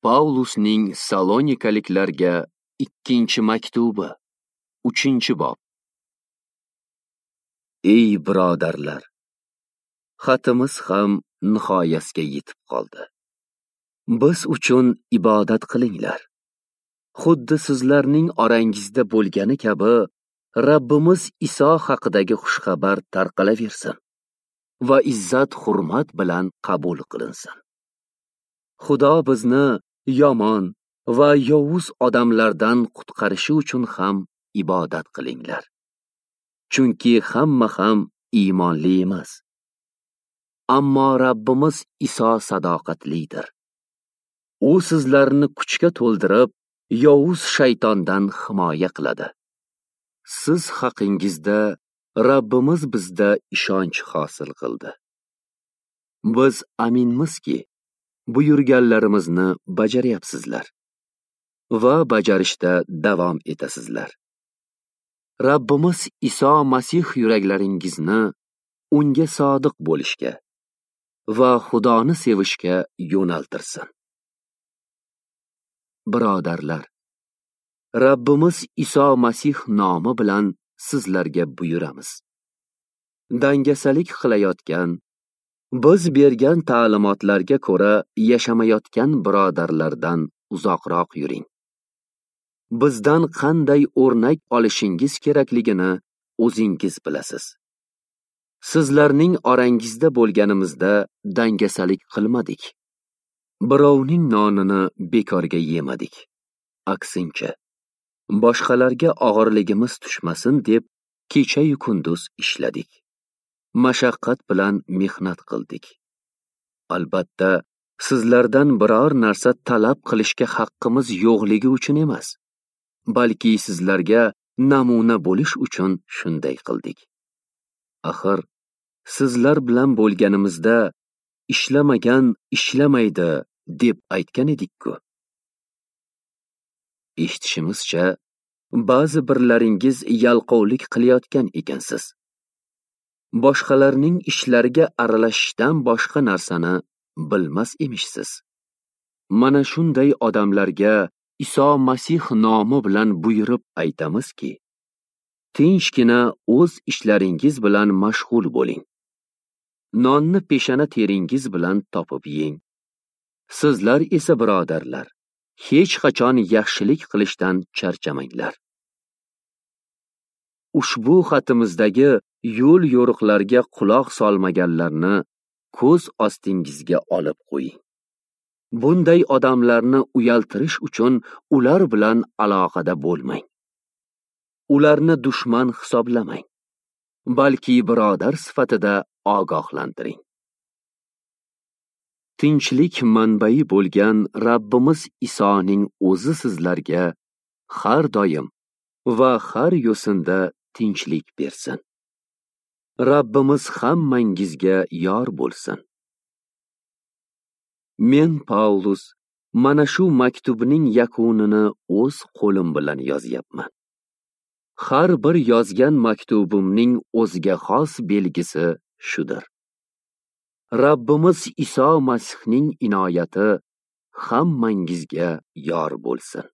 Paulusning Salonikaliklarga ikkinchi maktubi, 3-bob. Ey birodarlar, xatimiz ham nihoyasiga yetib qoldi. Biz uchun ibodat qilinglar. Xuddi sizlarning orangizda bo'lgani kabi Rabbimiz Iso haqidagi xushxabar tarqalaversin va izzat hurmat bilan qabul qilinsin. Xudo bizni yomon va yovuz odamlardan qutqarishi uchun ham ibodat qilinglar. Chunki hamma ham iymonli emas. Ammo Rabbimiz Iso sadoqatlidir. U sizlarni kuchga to'ldirib, yovuz shaytondan himoya qiladi. Siz haqingizda Rabbimiz bizda ishonch hosil qildi. Biz aminmizki, buyurganlarimizni bajaryapsizlar va bajarishda davom etasizlar. Rabbimiz Iso Masih yuraklaringizni unga sodiq bo'lishga va Xudoni sevishga yo'naltirsin. Birodarlar, Rabbimiz Iso Masih nomi bilan sizlarga buyuramiz. Dangasalik qilayotgan, biz bergan ta'limotlarga ko'ra yashamayotgan birodarlardan uzoqroq yuring. Bizdan qanday o'rnak olishingiz kerakligini o'zingiz bilasiz. Sizlarning orangizda bo'lganimizda dangasalik qilmadik. Birovning nonini bekorga yemadik. Aksincha, boshqalarga og'irligimiz tushmasin deb kecha-yu kunduz ishladik. Mashaqqat bilan mehnat qildik. Albatta, sizlardan biror narsa talab qilishga haqqimiz yo'qligi uchun emas, balki sizlarga namuna bo'lish uchun shunday qildik. Axir, sizlar bilan bo'lganimizda ishlamagan ishlamaydi deb aytgan edik-ku. Eshitishimizcha, ba'zi birlaringiz yalqovlik qilayotgan ekansiz. Boshqalarning ishlariga aralashishdan boshqa narsani bilmas emishsiz. Mana shunday odamlarga Iso Masih nomi bilan buyurib aytamizki, tinchgina o'z ishlaringiz bilan mashg'ul bo'ling. Nonni peshana teringiz bilan topib yeng. Sizlar esa birodarlar, hech qachon yaxshilik qilishdan charchamanglar. Ushbu xatimizdagi yo'l yo'riqlarga quloq solmaganlarni ko'z ostingizga olib qo'ying. Bunday odamlarni uyaltirish uchun ular bilan aloqada bo'lmang. Ularni dushman hisoblamang, balki birodar sifatida ogohlantiring. Tinchlik manbai bo'lgan Rabbimiz Isoning o'zi sizlarga har doim va har yo'sinda tinchlik bersin. Rabbimiz hammangizga yor bo'lsin. Men Paulus mana shu maktubning yakunini o'z qo'lim bilan yozyapman. Har bir yozgan maktubimning o'ziga xos belgisi shudir. Rabbimiz Iso Masihning inoyati hammangizga yor bo'lsin.